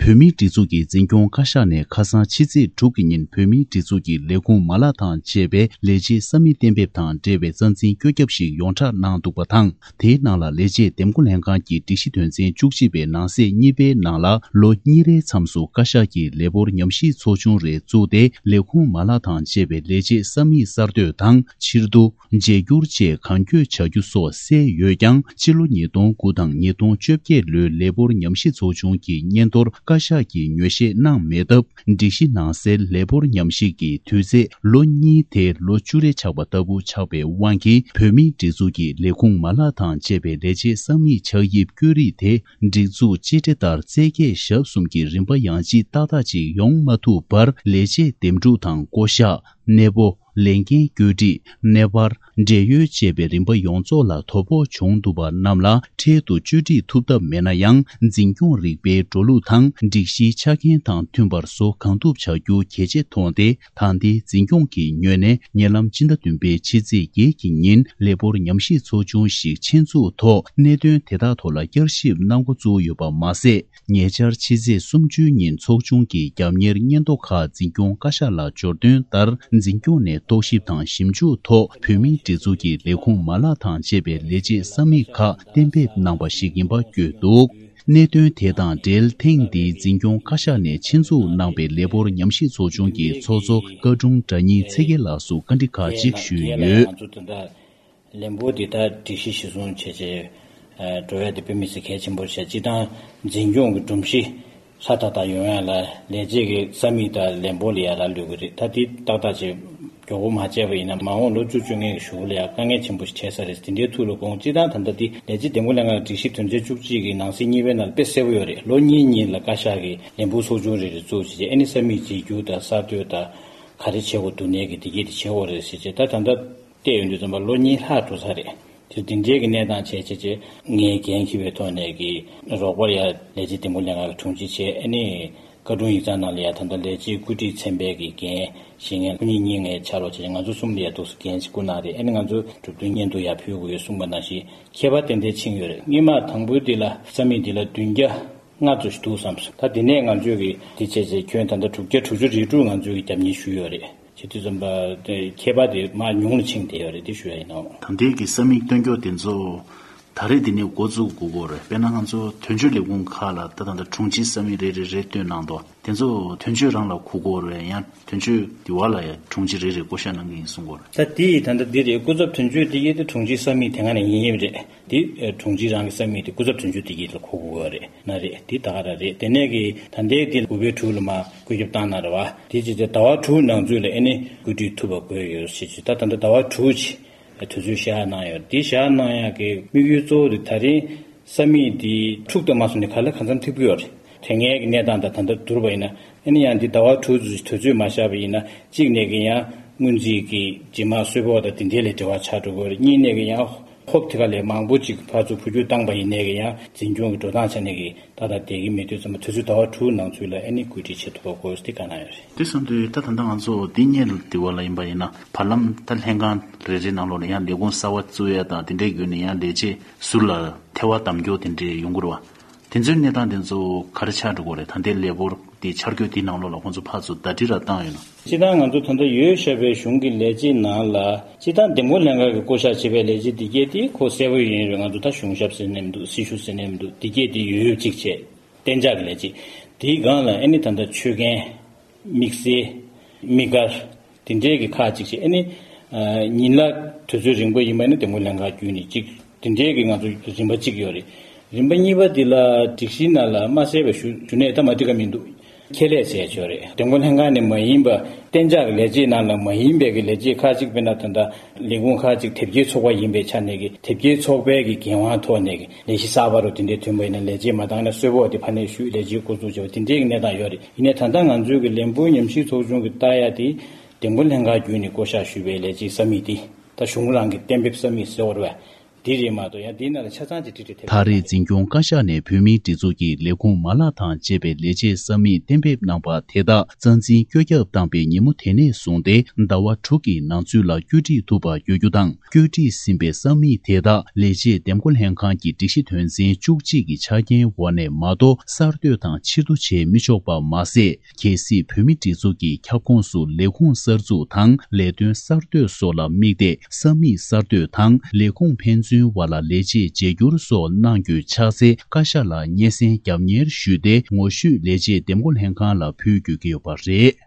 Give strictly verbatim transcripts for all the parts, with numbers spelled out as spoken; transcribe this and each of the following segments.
བོད་མིའི་སྒྲིག་འཛུགས་ཀྱི་འཛིན་སྐྱོང་བཀའ་ཤག་ནས་ཁ་སང་ཕྱི་ཚེས་དྲུག་གི་ཉིན་བོད་མིའི་སྒྲིག་འཛུགས་ཀྱི་ལས་ཁུངས་མ་ལག་དང་བཅས་པའི་ལས་བྱེད་ས་མིག་གཏན་འབེབས་དང་འབྲེལ་བའི་རྩ་འཛིན་བཀོད་ཁྱབ་ཞིག་ཡོངས་བསྒྲགས་གནང་འདུག་པ་དང་། དེའི་ནང་ལ་ལས་བྱེད་འདེམས་བསྐོ་ལྷན་ཁང་གི་སྒྲིག་གཞི་དོན་ཚན་བཅུ་གཅིག་པའི་ནང་གསེས་གཉིས་པའི་ནང་ལ་ལོ་གཉིས་རེའི་མཚམས་སུ་བཀའ་ཤག་གིས་ལས་སྦོར་ཉམས་ཞིབ་ཚོགས་ཆུང་རེ་བཙུགས་ཏེ། ལས་ཁུངས་མ་ལག་དང་བཅས་པའི་ལས་བྱེད་ས་མིག་གསར་གཏོད་དང་ཕྱིར་བསྡུ། བརྗེ་སྒྱུར་བཅས་གང་མགྱོགས་བྱ་རྒྱུ་སོགས་གསལ་ཡོད་ཀྱང་། སྤྱི་ལོ་ཉིས་སྟོང་དགུ་དང་ཉིས་སྟོང་བཅོ་བརྒྱད་ལོའི་ལས་སྦོར་ཉམས་ཞིབ་ཚོགས་ཆུང་གི་སྙན་ཐོར་བཀའ་ཤག་གིས་ངོས་བཞེས་གནང་མེད་སྟབས། སྒྲིག་གཞི་ནང་གསལ་ལས་སྦོར་ཉམས་ཞིབ་ཀྱི་དུས་ཚེས་ལོ་གཉིས་དེ་ལོ་བཅུ་རེ་ཆགས་པ་ལྟ་བུ་ཆགས་པའི་དབང་གིས། བོད་མིའི་སྒྲིག་འཛུགས་ཀྱི་ལས་ཁུངས་མ་ལག་དང་བཅས་པའི་ལས་བྱེད་ས་མིག་ཆགས་དབྱིབས་བཀོད་རིས་དེ། སྒྲིག་འཛུགས་སྤྱི་བདེ་ལྟར་རྩལ་སྐྱེད་ཞབས་གསུམ་གྱི་རིམ་པ་ཡང་ཅིག་ཏག་ཏག་ཅིག་ཡོང་མ་ཐུབ་པར། ལས་བྱེད་འདེམས་སྒྲུག་དང་བསྐོ་གཞག་གནས་སྤོ། ལས་འགན་བཀོད་སྒྲིག་གནས་སྤར། བགྲེས་ཡོལ་བཅས་པའི་རིམ་པ་ཡོངས་རྫོགས་ལ་དོ་ཕོག་བྱུང་འདུག་པ་རྣམས་ལ་འཕྲལ་དུ་བཅོས་སྒྲིག་ཐུབ་ཐབས་མེད་ན་ཡང་། འཛིན་སྐྱོང་རིག་པའི་འགྲོ་ལུགས་དང་སྒྲིག་གཞིའི་ཆ་རྐྱེན་དང་མཐུན་པར་བཟོ་གང་ཐུབ་བྱ་རྒྱུ་གལ་ཆེ་མཐོང་སྟེ། ད་ལྟའི་འཛིན་སྐྱོང་གི་ངོས་ནས་ཉེ་ལམ་སྤྱི་ཟླ་བདུན་པའི་ཕྱི་ཚེས་བརྒྱད་ཀྱི་ཉིན་ལས་སྦོར་ཉམས་ཞིབ་ཚོགས་ཆུང་ཞིག་ཆེད་འཛུགས་ཐོག་གནད་དོན་དེ་དག་ཐོག་ལ་བསྐྱར་ཞིབ་གནང་འགོ་བཙུགས་ཡོད་པ་མ་ཟད། ཉེ་ཆར་ཕྱི་ཚེས་སུམ་ཅུ་ཉིན་ཚོགས་ཆུང་གི་རྒྱབ་གཉེར་སྙན་ཐོ་ཁག་འཛིན་སྐྱོང་བཀའ་ཤག་ལ་འབྱོར་དོན་ལྟར། འཛིན་སྐྱོང་ནས་རྟོག་ཞིབ་དང་ཞིབ་འཇུག་ཐོག་བོད་མིའི་སྒྲིག་འཛུགས་ཀྱི་ལས་ཁུངས་མ་ལག་དང་བཅས་པའི་ལས་བྱེད་ས་མིག་ཁག་གཏན་འབེབས་གནང་པ་ཞིག་ཡིན་པ་བཀོད་འདུག་གནད་དོན་དེ་དང་འབྲེལ། ཐེངས་འདིའི་འཛིན་སྐྱོང་བཀའ་ཤག་ནས་ཆེད་འཛུགས་གནང་པའི་ལས་སྦོར་ཉམས་ཞིབ་ཚོགས་ཆུང་གི་ཚོགས་གཙོ་བཀའ་དྲུང་གྲྭ་ཉིད་ཚེ་རྒྱལ་ལགས་སུ་བཀའ་འདྲི་ཁག་ཅིག་ཞུས་ཡོད། ལན་པོ་འདི་ད་སྒྲིག་གཞི་གཞིར་བཟུང་བྱས་བྱས་འགྲོ་ཡ་དེ་དཔེ་མི་སྲིད་གལ་ཆེན་པོ་བྱས། སྤྱི་བཏང་འཛིན་སྐྱོང་གི་སྒྲོམ་གཞི་ཧྲ་ཐག་ཐག་ཡོང་ཡ་ལ་ལས་བྱེད་ཀྱི་ས་མིག་དང་ལན་པོ་ལ་ཡ་རག་ལུས་ཀྱི་རེད། ད་འདི་ཏག་ཏག་བྱས་མགྱོགས་པོ་མ་བྱས་པ་ཡིན་ན། མ་འོངས་ལོ་བཅུ་བཅོ་ལྔའི་གཞུག་ལ་ཡ་དཀའ་ངལ་ཆེན་པོ་ཞིག་འཕྲད་ས་རེད། དེ་འདྲའི་ཐུགས་ལ་དགོངས། སྤྱི་བཏང་ད་ལྟ་འདི་ལས་བྱེད་འདེམས་བསྐོ་ལྷན་ཁང་སྒྲིག་གཞི་དོན་ཚན་བཅུ་གཅིག་གི་ནང་གསེས་གཉིས་པའི་ནང་ལ་དཔེ་གསལ་པོ་ཡོད་རེད། ལོ་གཉིས་གཉིས་ལ་བཀའ་ཤག་གིས་ལན་པོ་ཚོགས་ཆུང་རེ་རེ་བཙུགས་བྱས་བྱས། ཨ་ནི་ས་མིག་བརྗེ་སྒྱུར་དང་གསར་གཏོད་དང་ག་རེ་བྱེད་དགོས་འདུག་ནས་ཀྱི་འདི་གས་དེ་བྱེད་དགོས་རེད་ཟེར་བྱས། ད་ད་ལྟ་བལྟས་ཡོང་དུས་ཙམ་པ་ལོ་གཉིས་ལྷག་འགྲོ་ས་རེད། དེ་འདི་འདྲའི་གི་གནས་སྟངས་བྱས་བྱས་བྱས། ངའི་འགན་འཁྱེར་བའི་ཐོག་ནས་ཀྱི་རོགས་པར་ཡ་ལས་བྱེད་འདེམས་བསྐོ་ལྷན་ཁང་གི་དྲུང་ཆེ་བྱས། ཨ་ནི་བཀའ་དྲུང་ཡིག་ཚང་ནང་ལ་ཡ་ད་ལྟ་ལས་བྱེད་བཀོད་སྒྲིག་ཚན་པའི་གི་འགན་བཞེས་མཁན་སྐུ་ཉིད་གཉིས་ངའི་ཕྱག་ལོགས་བྱས། ང་ཚོ་གསུམ་ལ་ཡ་འདུག་སེ་འགན་ཅིག་བསྐུར་གནང་རེད། ཨ་ནི་ང་ཚོ་གྲུབ་དོན་སྙན་ཐོ་ཡ་ཕུལ་དགོས་ཡོད་གསུངས་པ་ནང་བཞིན་ཁྱད་པར་ཏན་ཏན་ཕྱིན་ཡོད་རེད། སྔོན་མ་དང་པོའི་འདི་ལ་ས་མིག་འདི་ལ་བདུན་བརྒྱ་ལྔ་ཙམ་ཞིག་འདུག་བསམ་སོང་། ད་དེ་ནས་ང་ཚོས་གི་འདི་བྱས་བྱས་ཁྱོན་ད་ལྟ་དྲུག་བརྒྱ་དྲུག་ཅུ་རེ་དྲུག་ང་ཚོས་གི་རྒྱབ་གཉེར་ཞུས་ཡོད་རེད། བྱེད་དུས་ཙམ་པ་དེ་ཁྱད་པར་དེ་མར་ཉུང་ལ་ཕྱིན་བསྡད་ཡོད་རེད། དེ་ཞུ་ཡ་ཡིན་ནོ། ད་ལྟའི་གི་ས་མིག་སྟོན་རྒྱུ་དེ་ཚོ་ད་རེས་དེ་ནས་འགོ་བཙུགས་དགོས་ཀྱི་རེད། དཔེར་ན་ང་ཚོ་དོན་གཅོད་ལས་ཁུངས་ཁག་ལ་ད་ད་ལྟ་དྲུང་ཆེ་ས་མིག་རེ་རེ་རེ་བཏོན་གནང་འདུག་དེ་ཚོ་དོན་གཅོད་རང་ལ་གོ་དགོས་རེད། ཡང་དོན་གཅོད་དེ་བ་ལ་ཡང་དྲུང་ཆེ་རེ་རེ་བསྐོ་བཞག་གནང་གི་ཡིན་གསུང་གི་ཡོད་རེད། ད་དེ་ད་ལྟ་འདི་རེད། སྐུ་ཚབ་དོན་གཅོད་དེ་གའི་དེ་དྲུང་ཆེ་ས་མིག་དེ་སྔ་ནས་ཡིན་ཡིན་རེད། དེ་དྲུང་ཆེ་རང་གི་ས་མིག་དེ་སྐུ་ཚབ་དོན་གཅོད་དེ་གའི་ལ་གོ་དགོས་ཀྱི་ཡོད་རེད། ན་རེད། དེ་ད་ག་རང་རེད། དེ་ནས་གི་ད་ལྟའི་དེ་དགུ་པའི་དྲུག་ལ་མར་བཀོད་ཁྱབ་བཏང་གནང་རེད་བ། དེ་བྱས་ཏེ་ཟླ་བ་དྲུག་ནང་ཚུད་ལ་ཨ་ནི་བཀོད་སྒྲིག་ཐུབ་པ་དགོས་ཡོད་ཞེས་བྱས། ད་ད་ལྟ་ཟླ་བ་དྲུག་ཅིག་དུས་ཚོད་བཞག་གནང་ཡོད། དེ་བཞག་གནང་ཡག་གི་དམིགས་ཡུལ་གཙོ་བོ་དེ་ད་རིང་ས་མིག་དེ་འཁྲུག་དང་མ་སོང་ནས་ག་ལ་གང་འཚམ་ཐེབས་ཀྱི་ཡོད་རེད། དེ་སྔའི་གི་གནས་སྟངས་དང་ད་ལྟ་བསྡུར་བ་ཡིན་ན། ཨ་ནི་ཡང་འདི་ཟླ་བ་དྲུག་ཙམ་དུས་ཚོད་མ་བཞག་པ་ཡིན་ན། གཅིག་ནས་གི་ཡང་སྔོན་རྩིས་ཀྱི་རྗེས་མ་གསོལ་ཕོགས་དང་དེ་འདྲའི་ལས་འབྲེལ་བ་ཆགས་འགྲོ་གི་ཡོད་རེད། གཉིས་ནས་གི་ཡང་ཧོབ་དེ་ག་ལས་མང་པོ་ཅིག་ཕར་ཚུར་འཕོ་འགྱུར་བཏང་པ་ཡིན་ནས་གི་ཡང་འཛིན་སྐྱོང་གི་འགྲོ་སྟངས་ཆ་ནས་གི་ད་ལྟ་བསྡད་ཀྱི་མེད་དུས་ཙམ་པ། དུས་ཚོད་ཟླ་བ་དྲུག་ནང་ཚུད་ལ་ཨ་ནི་བཀོད་སྒྲིག་བྱེད་ཐུབ་པ་དགོས་ཟེར་དེ་ག་ན་ཡོད་རེད། དེ་བསམ་དུས་ད་ད་ལྟ་ང་ཚོ་འདི་སྔོན་ལ་དེ་བ་ལ་ཡིན་པ་ཡིན་ན། བར་ལམ་ད་ལྷན་ཁང་རེ་རེའི་ནང་ལོགས་ལ་ཡང་ལས་ཁུངས་གསར་པ་བཙུགས་ཡ་དང་དེ་འདྲའི་བརྒྱུད་ནས་ཡང་ལས་བྱེད་ཟུར་ལ་ཐལ་བ་བསྡམ་རྒྱུ་དེ་འདྲའི་ཡོང་གི་རེད་བ། དེ་ཚོའི་གནས་སྟངས་དེ་ཚོ་ག་རེ་ཆགས་འགྲོ་གི་རེད། ད་ལྟའི་ལས་འབོར་དེ་འཆར་འགོད་དེའི་ནང་ལོགས་ལ་ཁོང་ཚོ་ཕར་ཚུར་ཟླ་སྒྲིལ་ར་བཏང་ཡོད་ན། སྤྱིར་བཏང་ང་ཚོ་ད་ལྟ་ཡོད་བཞག་པའི་གཞུང་གི་ལས་བྱེད་ནང་ལ། སྤྱིར་བཏང་འདེམས་བསྐོ་ལྷན་ཁང་གིས་བསྐོ་བཞག་བྱས་པའི་ལས་བྱེད་འདི་གས་དེ་ཁོ་གསལ་པོ་ཡིན་རེད། ང་ཚོ་ད་གཞུང་ཞབས་ཟེར་ནས་མི་འདུག་སྲི་ཞུ་ཟེར་ནས་མི་འདུག་འདི་གས་དེ་ཡོད་ཡོད་གཅིག་བྱས། གཏན་འཇགས་ཀྱི་ལས་བྱེད། དེའི་སྒང་ལ་ཨ་ནི་ད་ལྟ་ཆོད་མཁན། དམིགས་བསལ། དམིགས་བཀར། དེ་འདྲའི་གི་ཁག་ཅིག་བྱས། ཨ་ནི་ཨ་ཉིན་གླ་དུས་ཚོད་རིང་པོ་ཡིན་པ་ནི་འདེམས་བསྐོ་ལྷན་ཁང་བརྒྱུད་ནས་གཅིག་དེ་འདྲའི་གི་ང་ཚོ་རིམ་པ་གཅིག་ཡོད་རེད། རིམ་པ་གཉིས་པ་འདི་ལ་སྒྲིག་གཞི་ནང་ལ་མ་གསལ་བའི་ཞུ་ཞུ་ནས་ད་མ་འགྲིག་ག་མི་འདུག་ཁྱད་ལས་ཟེར་ཆོག་རེད། འདེམས་བསྐོ་ལྷན་ཁང་ནས་མ་ཡིན་པ། གཏན་འཇགས་ཀྱི་ལས་བྱེད་ནང་ལ་མ་ཡིན་པའི་གི་ལས་བྱེད་ཁག་ཅིག། དཔེར་ན་ད་ལྟ་ལས་ཁུངས་ཁག་ཅིག་དེབ་སྐྱེལ་ཚོགས་པ་ཡིན་པའི་ཆ་ནས་གི་དེབ་སྐྱེལ་ཚོགས་པའི་གི་འགན་དབང་ཐོག་ནས་གི་ལས་གཞི་གསར་པ་རུ་དེ་འདྲའི་ཐོན་པ་ཡིན་ན། ལས་བྱེད་མ་བཏང་ན་གསོལ་ཕོགས་དེ་ཕ་ནས་ཞུས། ལས་བྱེད་འགོ་འཛུགས་བྱས་པ་དེ་འདྲའི་གི་གནས་སྟངས་ཡོད་རེད། ཡིན་ནའི་ད་ལྟ་ང་ཚོའི་གི་ལས་འབོར་ཉམས་ཞིབ་ཚོགས་ཆུང་གི་ལྟ་ཡ་དེ། འདེམས་བསྐོ་ལྷན་ཁང་བརྒྱུད་ནས་བསྐོ་བཞག་ཞུས་པའི་ལས་བྱེད་ས་མིག་དེ། ད་གཞུང་རང་གི་གཏན་འབེབས་ས་མིག་ཟེར་བ་རེད་པས། འདི་རེད་མ་གཏོགས་ཡང་འདིའི་ནང་ལ་ཆ་ཚང་ཅིག་བྲིས་བྲིས་ཐེབས་ད་རེས་འཛིན་སྐྱོང་བཀའ་ཤག་ནས་བོད་མིའི་སྒྲིག་འཛུགས་ཀྱི་ལས་ཁུངས་མ་ལག་དང་བཅས་པའི་ལས་བྱེད་ས་མིག་གཏན་འབེབས་གནང་པ་དེ་དག་རྩ་འཛིན་བཀོད་ཁྱབ་བཏང་པའི་ཉིན་མོ་དེ་ནས་བཟུང་སྟེ་ཟླ་བ་དྲུག་གི་ནང་ཚུད་ལ་བཀོད་སྒྲིག་ཐུབ་པ་དགོས་རྒྱུ་དང་། བཀོད་སྒྲིག་ཟིན་པའི་ས་མིག་དེ་དག་ལས་བྱེད་འདེམས་བསྐོ་ལྷན་ཁང་གི་སྒྲིག་གཞི་དོན་ཚན་བཅུ་གཅིག་གི་ཆ་རྐྱེན་འོག་ནས་མ་གཏོགས་གསར་གཏོད་དང་ཕྱིར་བསྡུ་བྱེད་མི་ཆོག་པ་མ་ཟད། གལ་སྲིད་བོད་མིའི་སྒྲིག་འཛུགས་ཀྱི་ཁྱབ་ཁོངས་སུ་ལས་ཁུངས་གསར་འཛུགས་དང་ལས་དོན་གསར་གཏོད་སོགས་ལ་དམིགས་ཏེ་ས་མིག་གསར་གཏོད་དང་ལས་ཁུངས་ཕན་ཚུན་བར་ལ་ལས་བྱེད་བརྗེ་བསྒྱུར་སོགས་གནང་རྒྱུ་ཆགས་ཚེ་བཀའ་ཤག་ལ་སྙན་སེང་རྒྱབ་གཉེར་ཞུས་ཏེ་ངོ་བཤུས་ལས་བྱེད་འདེམས་བསྐོ་ལྷན་ཁང་ལ་ཕུལ་དགོས་ཀྱི་ཡོད་པ་རེད།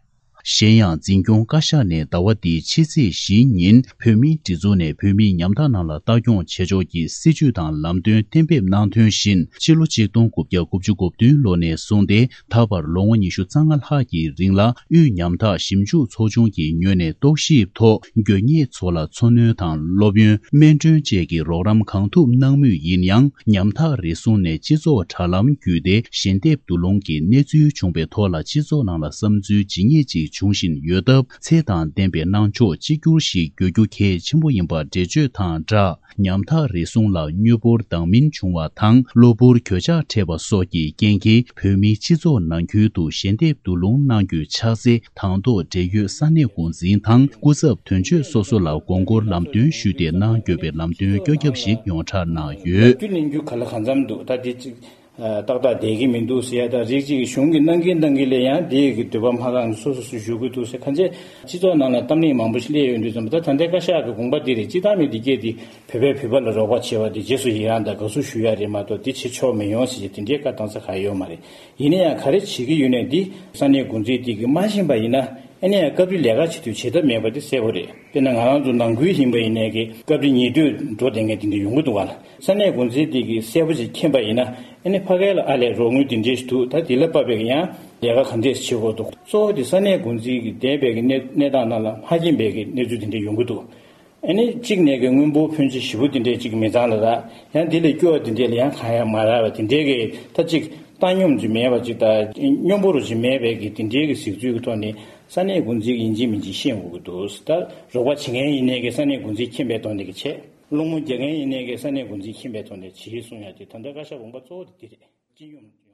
གཞན་ཡང་འཛིན་སྐྱོང་བཀའ་ཤག་ནས་ཟླ་བ་འདིའི་ཕྱི་ཚེས་བཞིའི་ཉིན་བོད་མིའི་སྒྲིག་འཛུགས་ནས་བོད་མིའི་ཉམ་ཐག་རྣམས་ལ་ལྟ་སྐྱོང་བྱེད་ཕྱོགས་ཀྱི་སྲིད་ཇུས་དང་ལམ་སྟོན་གཏན་འབེབས་གནང་དོན་བཞིན་ཕྱི་ལོ་ཆིག་སྟོང་དགུ་བརྒྱ་དགུ་བཅུ་གོ་བདུན་ལོ་ནས་བཟུང་སྟེ་ད་བར་ལོ་ངོ་ཉི་ཤུ་རྩ་ལྔ་ལྷག་གི་རིང་ལ་དབུས་ཉམ་ཐག་ཞིབ་འཇུག་ཚོགས་ཆུང་གི་ངོས་ནས་རྟོག་ཞིབ་ཐོག་དགོས་ངེས་ཚོ་ལ་འཚོ་སྣོན་དང་སློབ་ཡོན། སྨན་གྲོན་བཅས་ཀྱི་རོགས་རམ་གང་ཐུབ་གནང་མུས་ཡིན་ཡང་། ཉམ་ཐག་རེ་ཟུང་ནས་སྤྱི་ཚོགས་དྲ་ལམ་བརྒྱུད་དེ་ཞལ་འདེབས་བསྡུ་སློང་གི་གནས་ཚུལ་བྱུང་བའི་ཐོག་ལ་སྤྱི་ཚོགས་ནང་ལ་བསམ་ཚུལ་ཇི་སྙེད་ཅིག་འབྱུང་བཞིན་ཡོད་སྟབས། ཚད་དང་ལྡན་པའི་གནང་ཕྱོགས་གཅིག་གྱུར་ཞིག་དགོས་རྒྱུ་གལ་ཆེན་པོ་ཡིན་པ་འགྲེལ་བརྗོད་དང་སྦྲགས། ཉམ་ཐག་རེ་ཟུང་ལ་དངུལ་འབོར་འདང་མིན་བྱུང་བ་དང་གློ་བུར་གྱོད་ཆག་འཕྲད་པ་སོགས་ཀྱི་རྐྱེན་གྱིས་བོད་མིའི་སྤྱི་ཚོགས་ནང་ཁུལ་དུ་ཞལ་འདེབས་བསྡུ་སློང་གནང་རྒྱུ་ཆགས་ཚེ། དང་ཐོག་འབྲེལ་ཡོད་ས་གནས་འགོ་འཛིན་དང་སྐུ་ཚབ་དོན་གཅོད་སོ་སོ་ལ་དགོངས་སྐོར་ལམ་སྟོན་ཞུས་ཏེ་གནང་དགོས་པའི་ལམ་སྟོན་བཀོད་ཁྱབ་ཞིག་ཡོངས་གྲགས་གནང་ཡོད། རྒྱུ་ལེན་རྒྱུ་ག་ལ་གང་འཚམ་འདུག་ད་དེ་གཅིག་ཨ་ཏག་ཏག་བསྡད་ཀྱི་མི་འདུག་ཟེར་ཡ། ད་རིགས་གཅིག་གིས་གཞུང་གི་གནང་གིན་གནང་གིན་ལས་ཡང་དེ་གི་འདོད་པ་མ་ཁེངས་སོ་སོ་སུ་ཞུ་གི་འདུག་ཟེར། ཁ་ཆེ་སྤྱི་ཚོགས་ནང་ལ་གཏམ་གླེང་མང་པོ་ཞིག་སླེབས་ཡོང་དུས་ཙམ་པ། ད་ད་ལྟའི་བཀའ་ཤག་གི་དགོངས་པ་འདི་རེད། སྤྱི་བཏང་མི་འདི་སྐད་དེ་བོད་པས་བོད་པ་ལ་རོགས་པ་བྱས་པ་དེ་རྗེས་སུ་ཡི་རང་དང་དགའ་བསུ་ཞུ་ཡ་རེད་མ་གཏོགས་དེ་བྱེད་ཆོག་མི་ཡོང་ཟེར་གྱི་དེ་འདྲའི་བཀའ་བཏང་ས་ག་ཡོད་མ་རེད། ཡིན་ན་ཡང་ག་རེ་བྱེད་ཀྱི་ཡོད་ནའི་འདི་ས་གནས་འགོ་འཛིན་དེ་གིས་མ་ཤེས་པ་ཡིན་ན། ཨ་ནི་ཡང་སྐབས་རེ་ལས་ཀ་བྱེད་དུས་བྱེད་ཐབས་མེད་པ་དེ་གསལ་པོ་རེད། དཔེར་ན་ང་རང་ཚོ་ནང་ཁུལ་ཡིན་པ་ཡིན་ནའི་གི་སྐབས་རེ་ཉེ་དུས་འགྲོ་བསྡད་མཁན་དེ་འདྲ་ཡོང་གི་འདུག་ག་ལ། ས་གནས་འགོ་འཛིན་དེ་གིས་གསལ་པོ་ཞིག་མཁྱེན་པ་ཡིན་ན། ཨ་ནི་ཕ་གི་ལ་ཨ་ལས་རོགས་དངུལ་དེ་འདྲས་ཞིག་འདུག་ད་དེ་ལ་དཔག་པའི་གི་ཡང་ལས་ཀ་ག་འདྲས་བྱེད་དགོས་འདུག་གཙོ་བོ་དེ་ས་གནས་འགོ་འཛིན་གྱི་འདས་པའི་གི་གནས་གནས་སྟངས་ནང་ལ་མ་མཁྱེན་པའི་གི་གནས་ཚུལ་དེ་འདྲས་ཡོང་གི་འདུག་ཨ་ནི་གཅིག་ནས་གི་དངུལ་འབོར་ཕོན་ཆེ་ཞེ་པོ་དེ་འདྲས་གཅིག་མི་ཚང་ལ་རག་ཡང་དེ་ལས་སྐྱོ་བ་དེ་འདྲས་ལ་ཡང་གང་ཡང་མ་རག་པ་དེ་འདྲས་གི་ད་གཅིག་བཏང་སྙོམས་ཅིག་མེད་པ་ཅིག་དང་སྙོམས་པོ་རུ་ཅིག་མེད་པའི་གི་དེ་འདྲའི་གི་གཟིགས་ཚུལ་གྱི་ཐོག་ནས་ས་གནས་འགོ་འཛིན་གྱི་ཡིན་གཅིག་མིན་གཅིག་ཤེས་དགོས་ཀྱི་འདུག་ད་རོགས་པ་བྱེད་མཁན་ཡིན་ནའི་གི་ས་གནས་འགོ་འཛིན་མཁྱེན་པའི་ཐོག་ནས་གི་བྱས། སློང་མོ་རྒྱག་མཁན་ཡིན་ནའི་གི་ས་གནས་འགོ་འཛིན་མཁྱེན་པའི་ཐོག་ནས་བྱེད་གསུང་ཡ་དེ་ད་ལྟ་བཀའ་ཤག་དགོངས་པ་གཙོ་བོ་དེ་འདི་རེད། སྤྱི་སྙོམས།